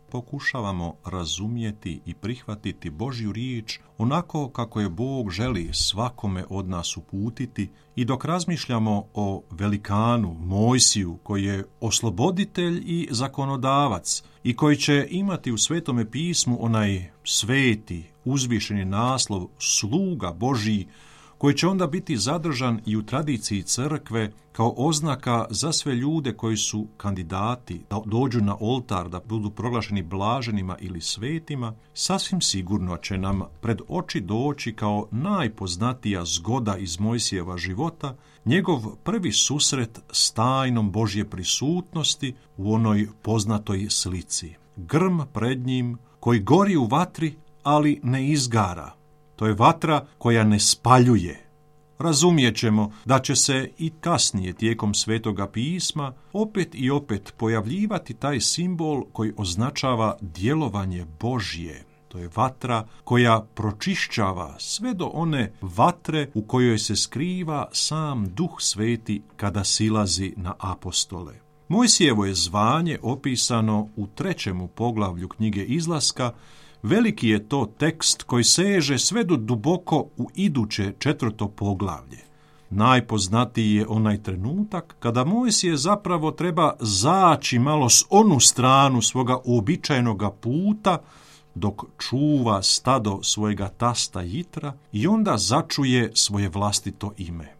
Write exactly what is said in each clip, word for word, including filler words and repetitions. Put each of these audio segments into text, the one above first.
pokušavamo razumjeti i prihvatiti Božju riječ onako kako je Bog želi svakome od nas uputiti i dok razmišljamo o velikanu Mojsiju koji je osloboditelj i zakonodavac i koji će imati u Svetome pismu onaj sveti, uzvišeni naslov sluga Božji, koji će onda biti zadržan i u tradiciji crkve kao oznaka za sve ljude koji su kandidati da dođu na oltar, da budu proglašeni blaženima ili svetima, sasvim sigurno će nam pred oči doći kao najpoznatija zgoda iz Mojsijeva života njegov prvi susret s tajnom Božje prisutnosti u onoj poznatoj slici. Grm pred njim koji gori u vatri, ali ne izgara. To je vatra koja ne spaljuje. Razumijet ćemo da će se i kasnije tijekom Svetoga pisma opet i opet pojavljivati taj simbol koji označava djelovanje Božje. To je vatra koja pročišćava sve do one vatre u kojoj se skriva sam Duh Sveti kada silazi na apostole. Mojsijevo je zvanje opisano u trećemu poglavlju knjige Izlaska. Veliki je to tekst koji seže sve do duboko u iduće četvrto poglavlje. Najpoznatiji je onaj trenutak kada Mojsije zapravo treba zaći malo s onu stranu svoga uobičajenoga puta dok čuva stado svojega tasta Jitra i onda začuje svoje vlastito ime.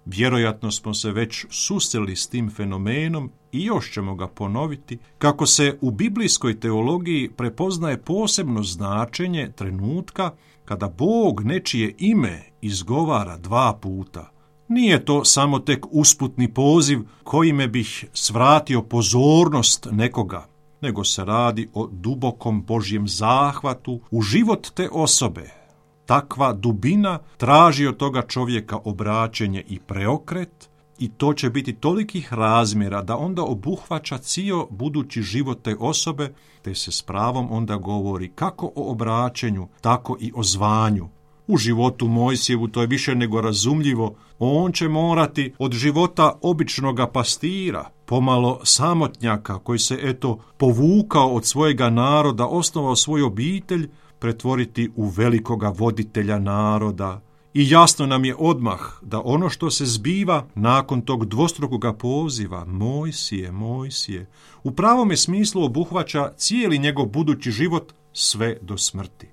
Vjerojatno smo se već susreli s tim fenomenom i još ćemo ga ponoviti, kako se u biblijskoj teologiji prepoznaje posebno značenje trenutka kada Bog nečije ime izgovara dva puta. Nije to samo tek usputni poziv kojime bih svratio pozornost nekoga, nego se radi o dubokom Božjem zahvatu u život te osobe. Takva dubina traži od toga čovjeka obraćenje i preokret i to će biti tolikih razmjera da onda obuhvaća cijel budući život te osobe, te se s pravom onda govori kako o obraćenju, tako i o zvanju. U životu Mojsijevu to je više nego razumljivo. On će morati od života običnoga pastira, pomalo samotnjaka koji se eto povukao od svojega naroda, osnovao svoju obitelj, pretvoriti u velikoga voditelja naroda. I jasno nam je odmah da ono što se zbiva nakon tog dvostrukoga poziva, Mojsije, Mojsije, u pravome smislu obuhvaća cijeli njegov budući život sve do smrti.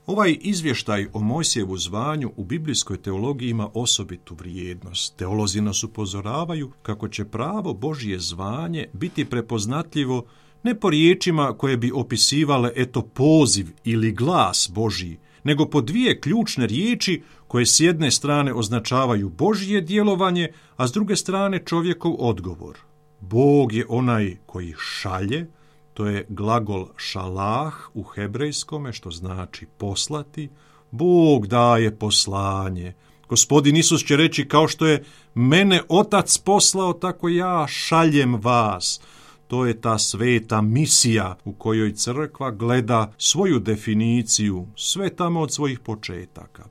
Ovaj izvještaj o Mojsijevu zvanju u biblijskoj teologiji ima osobitu vrijednost. Teolozi nas upozoravaju kako će pravo Božje zvanje biti prepoznatljivo ne po riječima koje bi opisivale eto poziv ili glas Božji, nego po dvije ključne riječi koje s jedne strane označavaju Božje djelovanje, a s druge strane čovjekov odgovor. Bog je onaj koji šalje, to je glagol šalah u hebrejskome, što znači poslati. Bog daje poslanje. Gospodin Isus će reći kao što je mene Otac poslao, tako ja šaljem vas. To je ta sveta misija u kojoj crkva gleda svoju definiciju sve tamo od svojih početaka.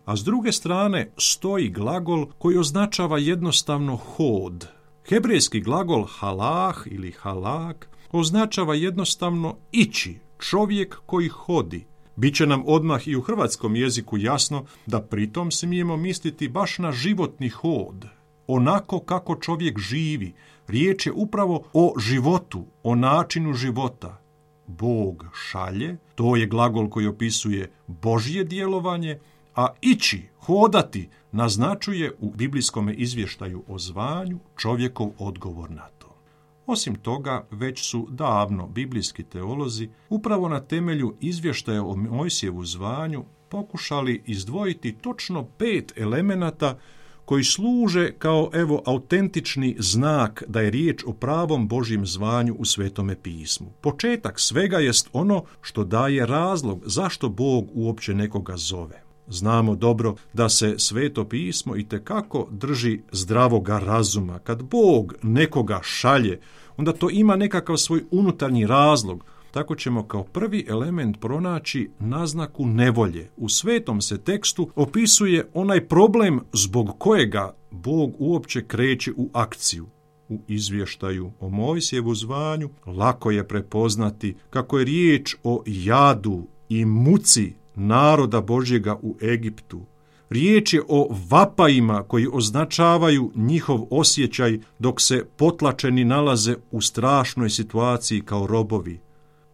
A s druge strane stoji glagol koji označava jednostavno hod. Hebrejski glagol halah ili halak označava jednostavno ići, čovjek koji hodi. Biće nam odmah i u hrvatskom jeziku jasno da pritom smijemo misliti baš na životni hod, onako kako čovjek živi. Riječ je upravo o životu, o načinu života. Bog šalje, to je glagol koji opisuje Božje djelovanje, a ići, hodati, naznačuje u biblijskom izvještaju o zvanju čovjekov odgovor na to. Osim toga, već su davno biblijski teolozi upravo na temelju izvještaja o Mojsijevu zvanju pokušali izdvojiti točno pet elemenata koji služe kao evo autentični znak da je riječ o pravom Božjem zvanju u Svetome pismu. Početak svega jest ono što daje razlog zašto Bog uopće nekoga zove. Znamo dobro da se Sveto pismo itekako drži zdravoga razuma. Kad Bog nekoga šalje, onda to ima nekakav svoj unutarnji razlog. Tako ćemo kao prvi element pronaći naznaku nevolje. U svetom se tekstu opisuje onaj problem zbog kojega Bog uopće kreće u akciju. u izvještaju o Mojsijevu zvanju, lako je prepoznati kako je riječ o jadu i muci naroda Božjega u Egiptu. Riječ je o vapajima koji označavaju njihov osjećaj dok se potlačeni nalaze u strašnoj situaciji kao robovi.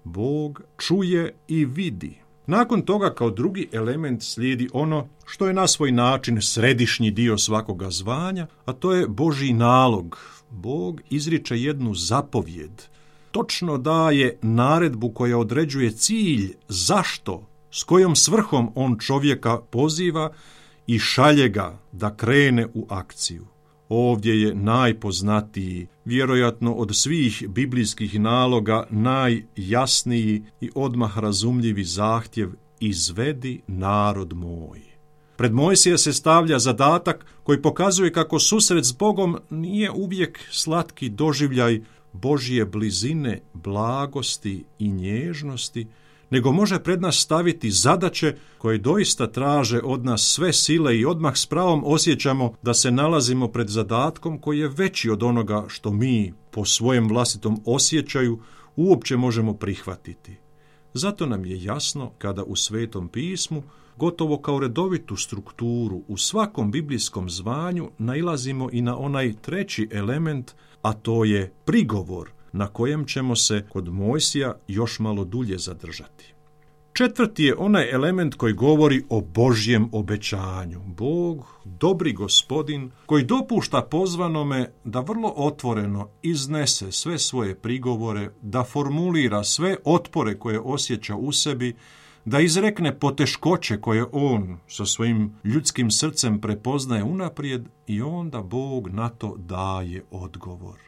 Bog čuje i vidi. Nakon toga kao drugi element slijedi ono što je na svoj način središnji dio svakoga zvanja, a to je Božji nalog. Bog izriče jednu zapovjed. Točno daje naredbu koja određuje cilj, zašto, s kojom svrhom on čovjeka poziva i šalje ga da krene u akciju. Ovdje je najpoznatiji, vjerojatno od svih biblijskih naloga, najjasniji i odmah razumljivi zahtjev: izvedi narod moj. Pred Mojsija se stavlja zadatak koji pokazuje kako susret s Bogom nije uvijek slatki doživljaj Božje blizine, blagosti i nježnosti, nego može pred nas staviti zadaće koje doista traže od nas sve sile i odmah s pravom osjećamo da se nalazimo pred zadatkom koji je veći od onoga što mi po svojem vlastitom osjećaju uopće možemo prihvatiti. Zato nam je jasno kada u Svetom pismu, gotovo kao redovitu strukturu u svakom biblijskom zvanju, nailazimo i na onaj treći element, a to je prigovor, na kojem ćemo se kod Mojsija još malo dulje zadržati. Četvrti je onaj element koji govori o Božjem obećanju. Bog, dobri gospodin, koji dopušta pozvanome da vrlo otvoreno iznese sve svoje prigovore, da formulira sve otpore koje osjeća u sebi, da izrekne poteškoće koje on sa svojim ljudskim srcem prepoznaje unaprijed i onda Bog na to daje odgovor.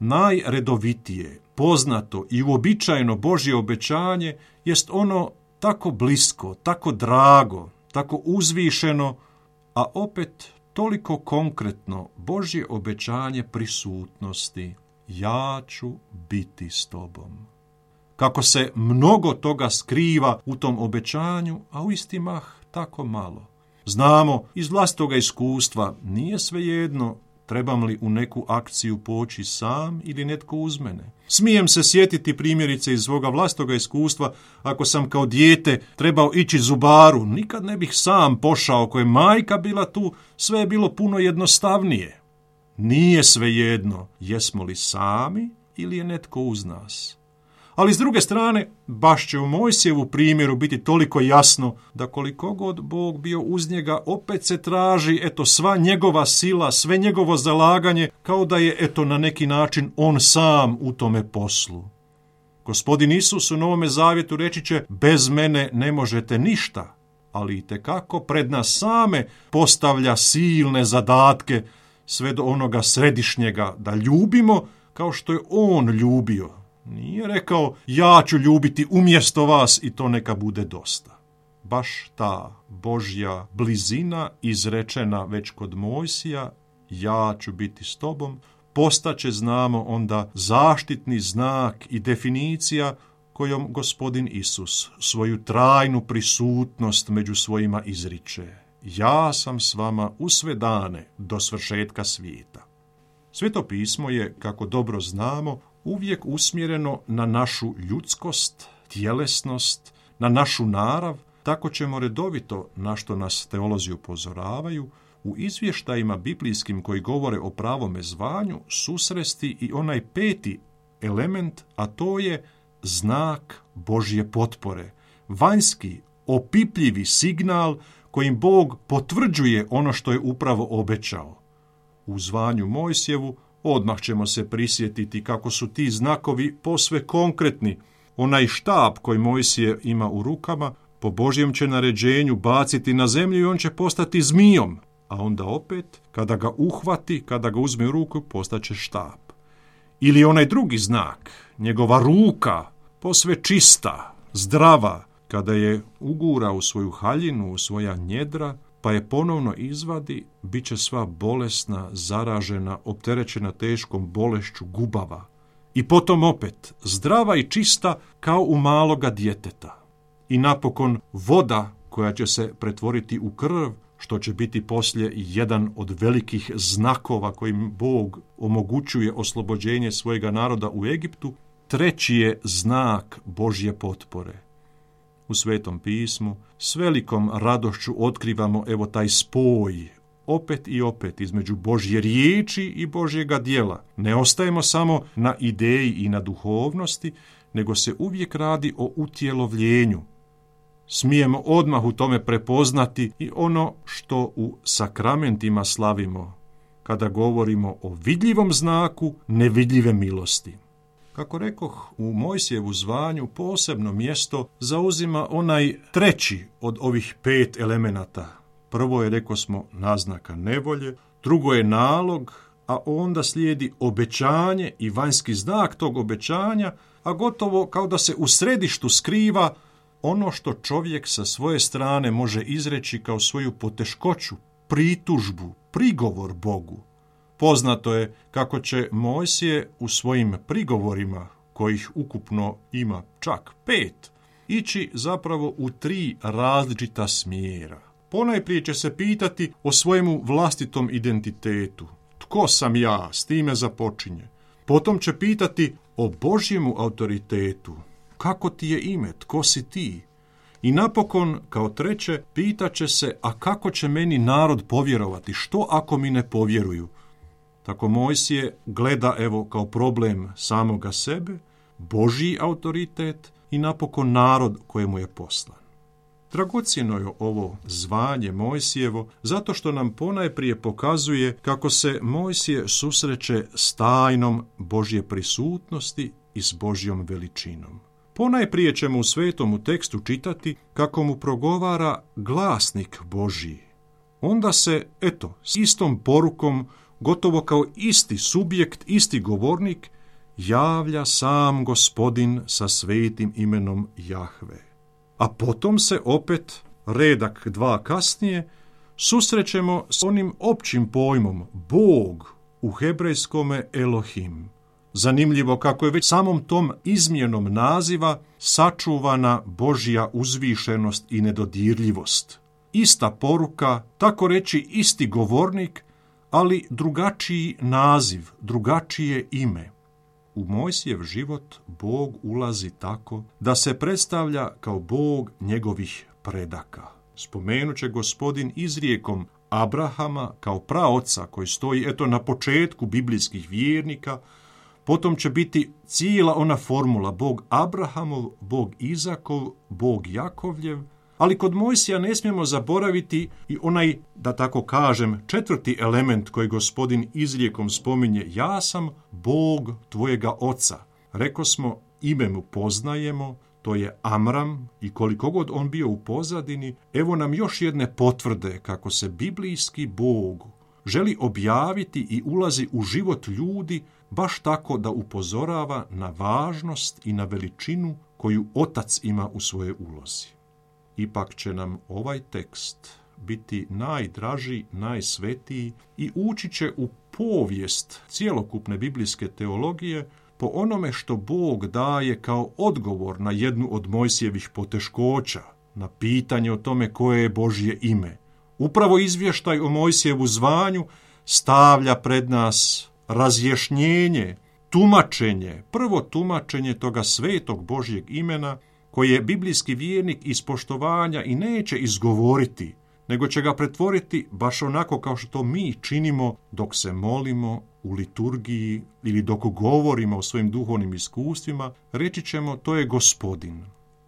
Najredovitije, poznato i uobičajeno Božje obećanje jest ono tako blisko, tako drago, tako uzvišeno, a opet toliko konkretno Božje obećanje prisutnosti: ja ću biti s tobom. Kako se mnogo toga skriva u tom obećanju, a u isti mah tako malo. Znamo iz vlastitoga iskustva, nije svejedno trebam li u neku akciju poći sam ili netko uz mene. Smijem se sjetiti primjerice iz svoga vlastitoga iskustva, ako sam kao dijete trebao ići zubaru, nikad ne bih sam pošao, ako je majka bila tu, sve je bilo puno jednostavnije. Nije svejedno jesmo li sami ili je netko uz nas. Ali s druge strane, baš će u Mojsijevu primjeru biti toliko jasno da koliko god Bog bio uz njega, opet se traži eto sva njegova sila, sve njegovo zalaganje, kao da je eto na neki način on sam u tome poslu. Gospodin Isus u Novome Zavjetu reći će: bez mene ne možete ništa, ali itekako pred nas same postavlja silne zadatke sve do onoga središnjega, da ljubimo kao što je on ljubio. Nije rekao: ja ću ljubiti umjesto vas i to neka bude dosta. Baš ta Božja blizina izrečena već kod Mojsija: ja ću biti s tobom, postaće, znamo, onda zaštitni znak i definicija kojom Gospodin Isus svoju trajnu prisutnost među svojima izriče: ja sam s vama u sve dane do svršetka svijeta. Sveto pismo je, kako dobro znamo, uvijek usmjereno na našu ljudskost, tjelesnost, na našu narav. Tako ćemo redovito, na što nas teolozi upozoravaju, u izvještajima biblijskim koji govore o pravome zvanju susresti i onaj peti element, a to je znak Božje potpore, vanjski, opipljivi signal kojim Bog potvrđuje ono što je upravo obećao. U zvanju Mojsijevu odmah ćemo se prisjetiti kako su ti znakovi posve konkretni. Onaj štab koji Mojsije ima u rukama, po Božjem će naređenju baciti na zemlju i on će postati zmijom, a onda opet, kada ga uhvati, kada ga uzme u ruku, postaće štab. Ili onaj drugi znak, njegova ruka, posve čista, zdrava, kada je ugura u svoju haljinu, u svoja njedra, pa je ponovno izvadi, bit će sva bolesna, zaražena, opterećena teškom bolešću gubava. I potom opet, zdrava i čista kao u maloga djeteta. I napokon voda koja će se pretvoriti u krv, što će biti poslije jedan od velikih znakova kojim Bog omogućuje oslobođenje svojega naroda u Egiptu, treći je znak Božje potpore. U Svetom pismu s velikom radošću otkrivamo evo taj spoj opet i opet između Božje riječi i Božjega djela. Ne ostajemo samo na ideji i na duhovnosti, nego se uvijek radi o utjelovljenju. Smijemo odmah u tome prepoznati i ono što u sakramentima slavimo, kada govorimo o vidljivom znaku nevidljive milosti. Kako rekoh, u Mojsijevu zvanju posebno mjesto zauzima onaj treći od ovih pet elemenata. Prvo je, rekao smo, naznaka nevolje, drugo je nalog, a onda slijedi obećanje i vanjski znak tog obećanja, a gotovo kao da se u središtu skriva ono što čovjek sa svoje strane može izreći kao svoju poteškoću, pritužbu, prigovor Bogu. Poznato je kako će Mojsije u svojim prigovorima, kojih ukupno ima čak pet, ići zapravo u tri različita smjera. Ponajprije će se pitati o svojemu vlastitom identitetu. Tko sam ja? S time započinje. Potom će pitati o Božjemu autoritetu. Kako ti je ime? Tko si ti? I napokon, kao treće, pitaće se, a kako će meni narod povjerovati? Što ako mi ne povjeruju? Tako Mojsije gleda evo kao problem samoga sebe, Božji autoritet i napokon narod kojemu je poslan. Dragocjeno je ovo zvanje Mojsijevo zato što nam ponajprije pokazuje kako se Mojsije susreće s tajnom Božje prisutnosti i s Božjom veličinom. Ponajprije ćemo u svetom tekstu čitati kako mu progovara glasnik Božji. Onda se, eto, s istom porukom, gotovo kao isti subjekt, isti govornik, javlja sam Gospodin sa svetim imenom Jahve. A potom se opet, redak dva kasnije, susrećemo s onim općim pojmom Bog, u hebrejskome Elohim. Zanimljivo kako je već samom tom izmjenom naziva sačuvana Božja uzvišenost i nedodirljivost. Ista poruka, tako reći isti govornik, ali drugačiji naziv, drugačije ime. U Mojsijev život Bog ulazi tako da se predstavlja kao Bog njegovih predaka. Spomenut će Gospodin izrijekom Abrahama kao praoca koji stoji eto na početku biblijskih vjernika, potom će biti cijela ona formula Bog Abrahamov, Bog Izakov, Bog Jakovljev, ali kod Mojsija ne smijemo zaboraviti i onaj, da tako kažem, četvrti element koji Gospodin izrijekom spominje, ja sam Bog tvojega oca. Reko smo, ime mu poznajemo, to je Amram i koliko god on bio u pozadini, evo nam još jedne potvrde kako se biblijski Bog želi objaviti i ulazi u život ljudi baš tako da upozorava na važnost i na veličinu koju otac ima u svojoj ulozi. Ipak će nam ovaj tekst biti najdraži, najsvetiji i ući će u povijest cjelokupne biblijske teologije po onome što Bog daje kao odgovor na jednu od Mojsijevih poteškoća, na pitanje o tome koje je Božje ime. Upravo izvještaj o Mojsijevu zvanju stavlja pred nas razjašnjenje, tumačenje, prvo tumačenje toga svetog Božjeg imena, koje biblijski vjernik iz poštovanja i neće izgovoriti, nego će ga pretvoriti baš onako kao što to mi činimo dok se molimo u liturgiji ili dok govorimo o svojim duhovnim iskustvima, reći ćemo to je Gospodin.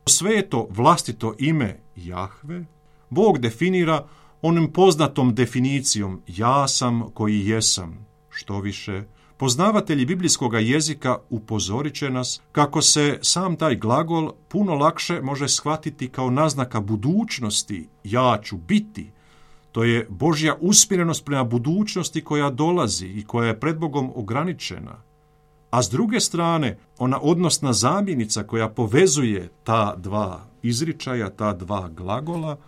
Sveto vlastito ime Jahve Bog definira onim poznatom definicijom ja sam koji jesam. Što više, poznavatelji biblijskog jezika upozorit će nas kako se sam taj glagol puno lakše može shvatiti kao naznaka budućnosti, ja ću biti. To je Božja usmjerenost prema budućnosti koja dolazi i koja je pred Bogom ograničena. A s druge strane, ona odnosna zamjenica koja povezuje ta dva izričaja, ta dva glagola,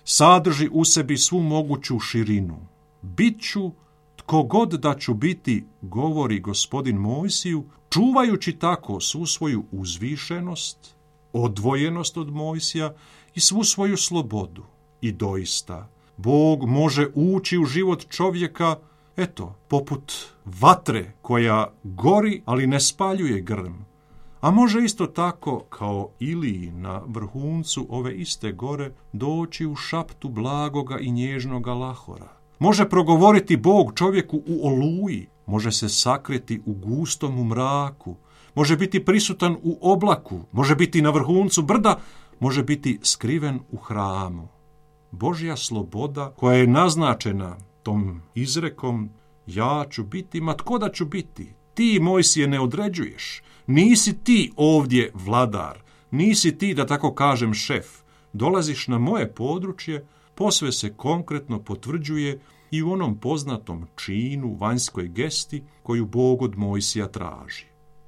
sadrži u sebi svu moguću širinu. Bit ću tko god da ću biti, govori Gospodin Mojsiju, čuvajući tako svu svoju uzvišenost, odvojenost od Mojsija i svu svoju slobodu. I doista, Bog može ući u život čovjeka, eto, poput vatre koja gori, ali ne spaljuje grm. A može isto tako, kao Iliji na vrhuncu ove iste gore, doći u šaptu blagoga i nježnoga lahora. Može progovoriti Bog čovjeku u oluji, može se sakriti u gustom mraku, može biti prisutan u oblaku, može biti na vrhuncu brda, može biti skriven u hramu. Božja sloboda koja je naznačena tom izrekom, ja ću biti, ma tko da ću biti? Ti, Mojsije, ne određuješ. Nisi ti ovdje vladar, nisi ti, da tako kažem, šef. Dolaziš na moje područje, posve se konkretno potvrđuje i u onom poznatom činu, vanjskoj gesti koju Bog od Mojsija traži.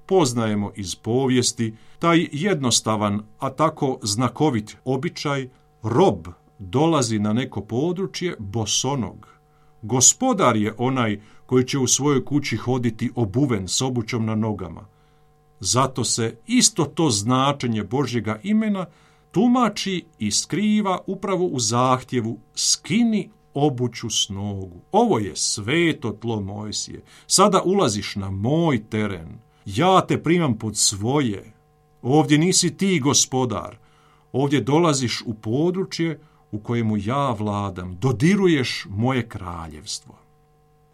Poznajemo iz povijesti taj jednostavan, a tako znakovit običaj, rob dolazi na neko područje bosonog. Gospodar je onaj koji će u svojoj kući hoditi obuven s obućom na nogama. Zato se isto to značenje Božjega imena tumači i skriva upravo u zahtjevu skini obuću s nogu. Ovo je sveto tlo Mojsije. Sada ulaziš na moj teren. Ja te primam pod svoje. Ovdje nisi ti gospodar. Ovdje dolaziš u područje u kojemu ja vladam. Dodiruješ moje kraljevstvo.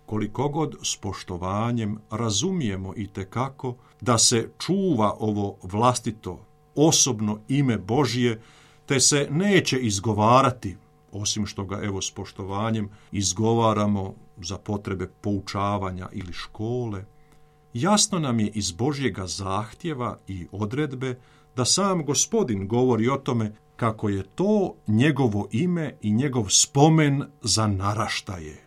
Koliko god s poštovanjem razumijemo i tekako da se čuva ovo vlastito, osobno ime Božje, te se neće izgovarati, osim što ga evo s poštovanjem izgovaramo za potrebe poučavanja ili škole, jasno nam je iz Božjega zahtjeva i odredbe da sam Gospodin govori o tome kako je to njegovo ime i njegov spomen za naraštaje.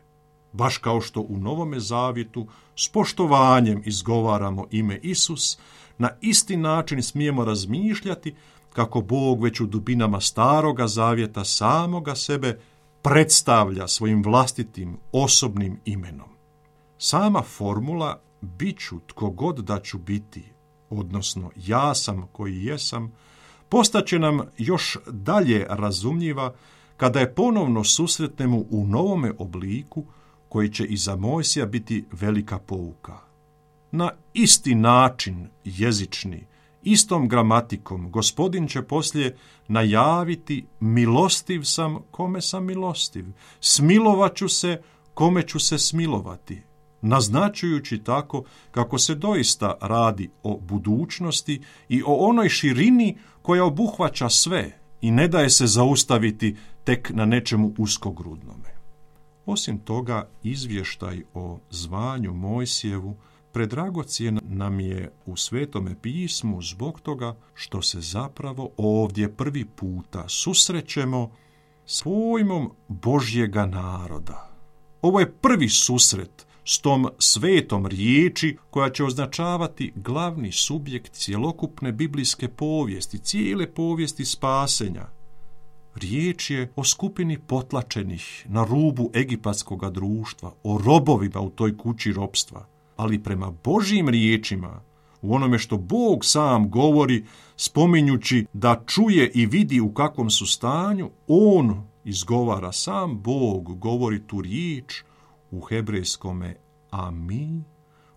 Baš kao što u Novome Zavjetu s poštovanjem izgovaramo ime Isus, na isti način smijemo razmišljati kako Bog već u dubinama Staroga Zavjeta samoga sebe predstavlja svojim vlastitim osobnim imenom. Sama formula bit ću tko god da ću biti, odnosno ja sam koji jesam, postaće nam još dalje razumljiva kada je ponovno susretnemo u novome obliku koji će i za Mojsija biti velika pouka. Na isti način jezični, istom gramatikom, Gospodin će poslije najaviti milostiv sam kome sam milostiv, smilovat ću se kome ću se smilovati, naznačujući tako kako se doista radi o budućnosti i o onoj širini koja obuhvaća sve i ne daje se zaustaviti tek na nečemu uskogrudnome. Osim toga, izvještaj o zvanju Mojsijevu predragocjen nam je u Svetome pismu zbog toga što se zapravo ovdje prvi puta susrećemo s pojmom Božjega naroda. Ovo je prvi susret s tom svetom riječi koja će označavati glavni subjekt cjelokupne biblijske povijesti, cijele povijesti spasenja. Riječ je o skupini potlačenih na rubu egipatskoga društva, o robovima u toj kući ropstva, ali prema Božjim riječima, u onome što Bog sam govori, spominjući da čuje i vidi u kakvom su stanju, on izgovara, sam Bog govori tu riječ u hebrejskome ami,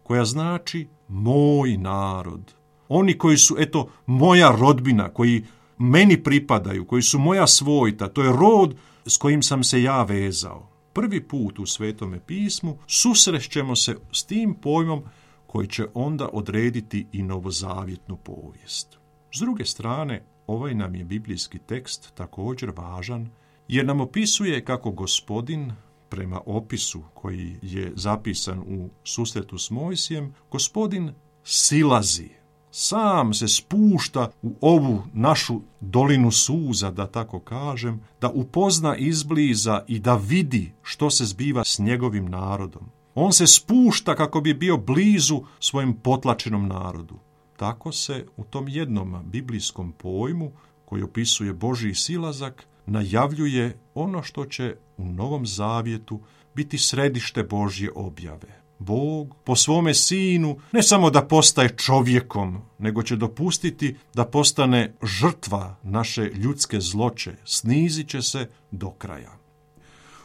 koja znači moj narod. Oni koji su, eto, moja rodbina, koji meni pripadaju, koji su moja svojta, to je rod s kojim sam se ja vezao. Prvi put u Svetome pismu susrećemo se s tim pojmom koji će onda odrediti i novozavjetnu povijest. S druge strane, ovaj nam je biblijski tekst također važan, jer nam opisuje kako Gospodin, prema opisu koji je zapisan u susretu s Mojsijem, Gospodin silazi, sam se spušta u ovu našu dolinu suza, da tako kažem, da upozna izbliza i da vidi što se zbiva s njegovim narodom. On se spušta kako bi bio blizu svojem potlačenom narodu. Tako se u tom jednom biblijskom pojmu koji opisuje Božji silazak najavljuje ono što će u Novom Zavjetu biti središte Božje objave. Bog po svome sinu ne samo da postaje čovjekom, nego će dopustiti da postane žrtva naše ljudske zloće, snizit će se do kraja.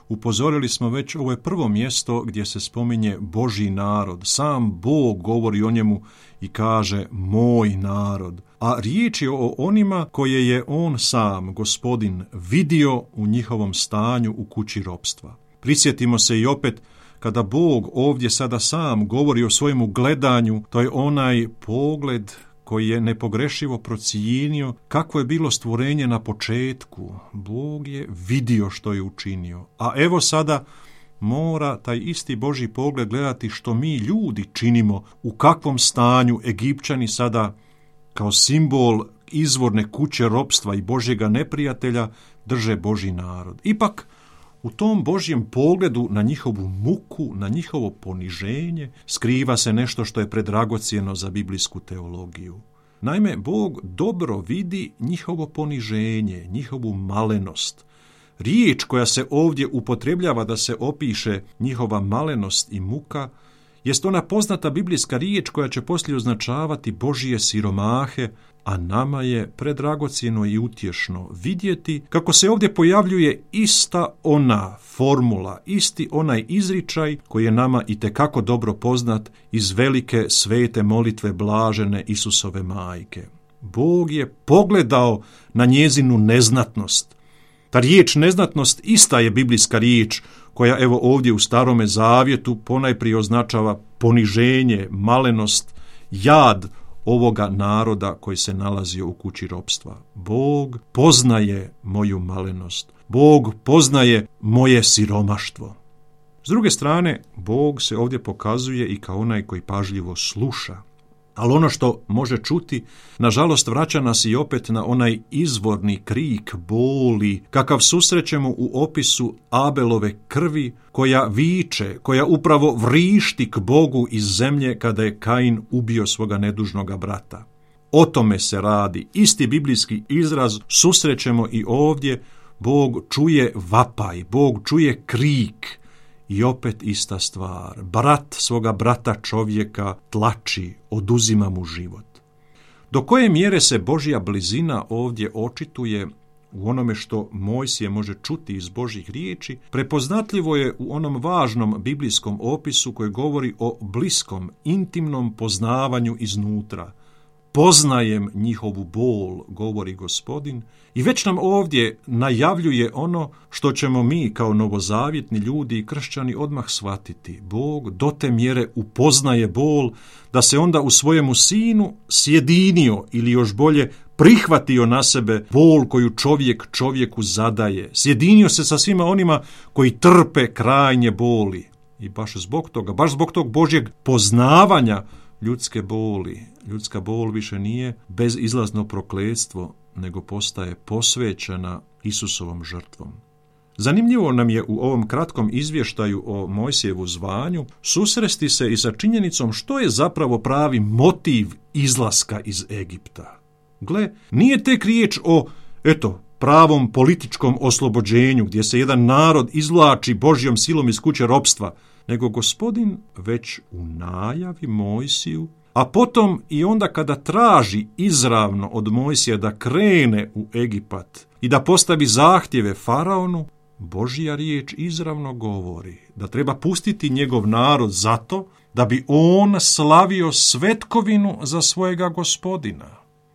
Upozorili smo već, ovo je prvo mjesto gdje se spominje Božji narod. Sam Bog govori o njemu i kaže moj narod. A riječ je o onima koje je on sam, Gospodin, vidio u njihovom stanju u kući ropstva. Prisjetimo se i opet kada Bog ovdje sada sam govori o svojemu gledanju, to je onaj pogled koji je nepogrešivo procijenio kakvo je bilo stvorenje na početku. Bog je vidio što je učinio. A evo sada mora taj isti Božji pogled gledati što mi ljudi činimo, u kakvom stanju Egipćani sada kao simbol izvorne kuće ropstva i Božjega neprijatelja drže Božji narod. Ipak, u tom Božjem pogledu na njihovu muku, na njihovo poniženje, skriva se nešto što je predragocjeno za biblijsku teologiju. Naime, Bog dobro vidi njihovo poniženje, njihovu malenost. Riječ koja se ovdje upotrebljava da se opiše njihova malenost i muka, jest ona poznata biblijska riječ koja će poslije označavati Božje siromahe, a nama je predragocjeno i utješno vidjeti kako se ovdje pojavljuje ista ona formula, isti onaj izričaj koji je nama itekako dobro poznat iz velike svete molitve blažene Isusove majke. Bog je pogledao na njezinu neznatnost. Ta riječ neznatnost ista je biblijska riječ koja evo ovdje u Starome zavjetu ponajprije označava poniženje, malenost, jad ovoga naroda koji se nalazio u kući ropstva. Bog poznaje moju malenost. Bog poznaje moje siromaštvo. S druge strane, Bog se ovdje pokazuje i kao onaj koji pažljivo sluša. Ali ono što može čuti, nažalost, vraća nas i opet na onaj izvorni krik boli, kakav susrećemo u opisu Abelove krvi, koja viče, koja upravo vrišti k Bogu iz zemlje kada je Kain ubio svoga nedužnoga brata. O tome se radi. Isti biblijski izraz susrećemo i ovdje. Bog čuje vapaj, Bog čuje krik. I opet ista stvar. Brat svoga brata čovjeka tlači, oduzima mu život. Do koje mjere se Božja blizina ovdje očituje u onome što Mojsije može čuti iz Božjih riječi, prepoznatljivo je u onom važnom biblijskom opisu koji govori o bliskom, intimnom poznavanju iznutra. Poznajem njihovu bol, govori Gospodin, i već nam ovdje najavljuje ono što ćemo mi kao novozavjetni ljudi i kršćani odmah shvatiti. Bog do te mjere upoznaje bol da se onda u svojemu sinu sjedinio ili još bolje prihvatio na sebe bol koju čovjek čovjeku zadaje. Sjedinio se sa svima onima koji trpe krajnje boli. I baš zbog toga, baš zbog tog Božjeg poznavanja ljudske boli. Ljudska bol više nije bezizlazno prokletstvo, nego postaje posvećena Isusovom žrtvom. Zanimljivo nam je u ovom kratkom izvještaju o Mojsijevu zvanju susresti se i sa činjenicom što je zapravo pravi motiv izlaska iz Egipta. Gle, nije tek riječ o, eto, pravom političkom oslobođenju gdje se jedan narod izvlači Božjom silom iz kuće ropstva, nego Gospodin već u najavi Mojsiju, a potom i onda kada traži izravno od Mojsija da krene u Egipat i da postavi zahtjeve faraonu, Božja riječ izravno govori da treba pustiti njegov narod zato da bi on slavio svetkovinu za svojega Gospodina.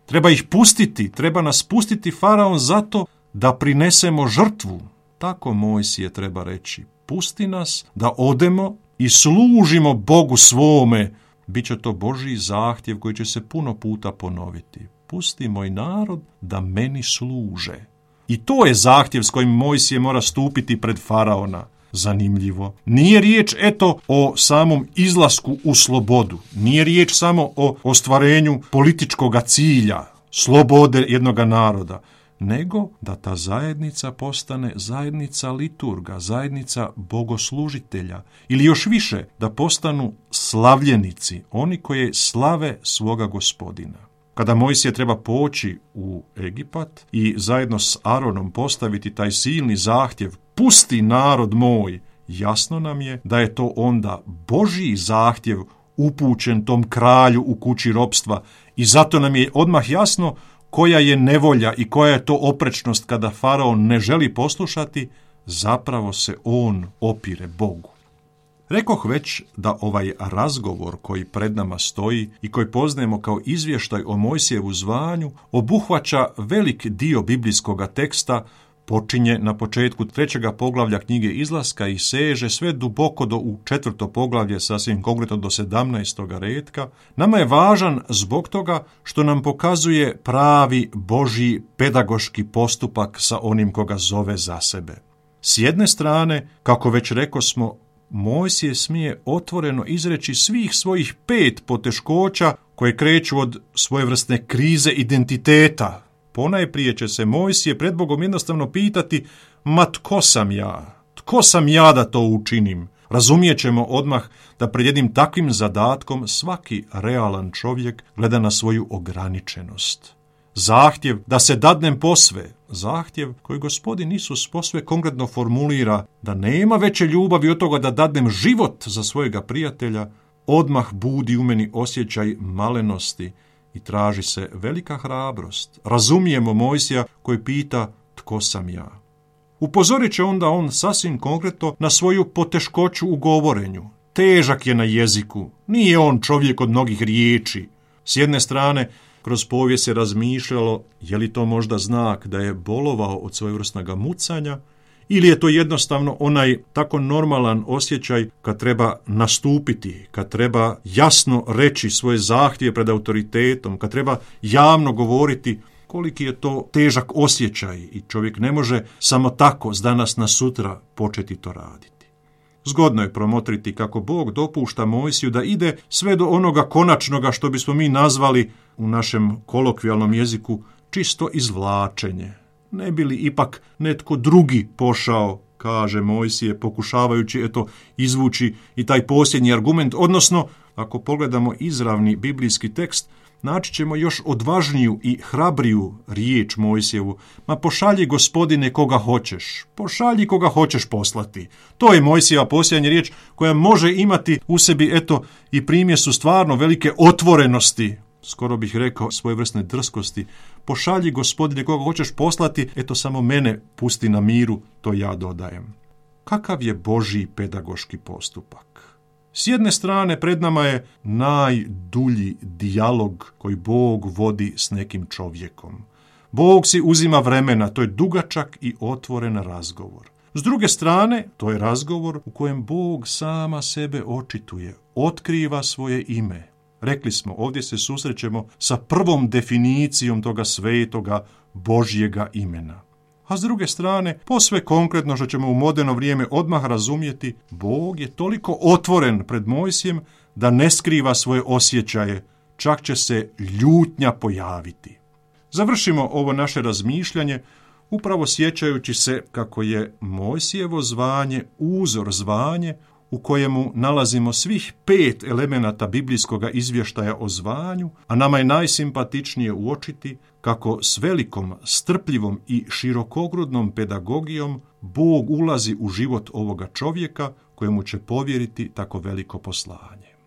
Treba ih pustiti, treba nas pustiti faraon zato da prinesemo žrtvu. Tako Mojsije treba reći. Pusti nas da odemo i služimo Bogu svome. Biće to Božji zahtjev koji će se puno puta ponoviti. Pusti moj narod da meni služe. I to je zahtjev s kojim Mojsije mora stupiti pred faraona. Zanimljivo. Nije riječ eto o samom izlasku u slobodu. Nije riječ samo o ostvarenju političkog cilja, slobode jednoga naroda, nego da ta zajednica postane zajednica liturga, zajednica bogoslužitelja ili još više da postanu slavljenici, oni koji slave svoga Gospodina. Kada Mojsije treba poći u Egipat i zajedno s Aronom postaviti taj silni zahtjev pusti narod moj, jasno nam je da je to onda Božji zahtjev upućen tom kralju u kući ropstva i zato nam je odmah jasno koja je nevolja i koja je to oprečnost kada faraon ne želi poslušati, zapravo se on opire Bogu. Rekoh već da ovaj razgovor koji pred nama stoji i koji poznajemo kao izvještaj o Mojsijevu zvanju obuhvaća velik dio biblijskoga teksta, počinje na početku trećega poglavlja knjige Izlaska i seže sve duboko do u četvrto poglavlje, sasvim konkretno do sedamnaestoga retka. Nama je važan zbog toga što nam pokazuje pravi Božji pedagoški postupak sa onim koga zove za sebe. S jedne strane, kako već rekosmo, Mojsije smije otvoreno izreći svih svojih pet poteškoća koje kreću od svojevrsne krize identiteta. Ponajprije će se Mojsije pred Bogom jednostavno pitati, ma tko sam ja? Tko sam ja da to učinim? Razumijet ćemo odmah da pred jednim takvim zadatkom svaki realan čovjek gleda na svoju ograničenost. Zahtjev da se dadnem posve, zahtjev koji Gospodin Isus posve konkretno formulira, da nema veće ljubavi od toga da dadnem život za svojega prijatelja, odmah budi u meni osjećaj malenosti i traži se velika hrabrost. Razumijemo Mojsija koji pita tko sam ja. Upozorit će onda on sasvim konkretno na svoju poteškoću u govorenju. Težak je na jeziku, nije on čovjek od mnogih riječi. S jedne strane, kroz povijest se razmišljalo je li to možda znak da je bolovao od svojevrsnoga mucanja ili je to jednostavno onaj tako normalan osjećaj kad treba nastupiti, kad treba jasno reći svoje zahtjeve pred autoritetom, kad treba javno govoriti koliki je to težak osjećaj i čovjek ne može samo tako s danas na sutra početi to raditi. Zgodno je promotriti kako Bog dopušta Mojsiju da ide sve do onoga konačnoga što bismo mi nazvali u našem kolokvijalnom jeziku čisto izvlačenje. Ne bi li ipak netko drugi pošao, kaže Mojsije, pokušavajući eto izvući i taj posljednji argument, odnosno ako pogledamo izravni biblijski tekst, naći ćemo još odvažniju i hrabriju riječ Mojsijevu. Ma pošalji Gospodine koga hoćeš, pošalji koga hoćeš poslati. To je Mojsijeva posljednja riječ koja može imati u sebi eto i primjesu stvarno velike otvorenosti, skoro bih rekao svojevrsne drskosti. Pošalji Gospodine koga hoćeš poslati, eto samo mene pusti na miru, to ja dodajem. Kakav je Božji pedagoški postupak? S jedne strane pred nama je najdulji dijalog koji Bog vodi s nekim čovjekom. Bog si uzima vremena, to je dugačak i otvoren razgovor. S druge strane, to je razgovor u kojem Bog sama sebe očituje, otkriva svoje ime. Rekli smo, ovdje se susrećemo sa prvom definicijom toga svetoga Božjega imena. A s druge strane, posve konkretno što ćemo u moderno vrijeme odmah razumjeti, Bog je toliko otvoren pred Mojsijem da ne skriva svoje osjećaje, čak će se ljutnja pojaviti. Završimo ovo naše razmišljanje upravo sjećajući se kako je Mojsijevo zvanje uzor zvanje u kojemu nalazimo svih pet elemenata biblijskoga izvještaja o zvanju, a nama je najsimpatičnije uočiti kako s velikom, strpljivom i širokogrudnom pedagogijom Bog ulazi u život ovoga čovjeka kojemu će povjeriti tako veliko poslanje.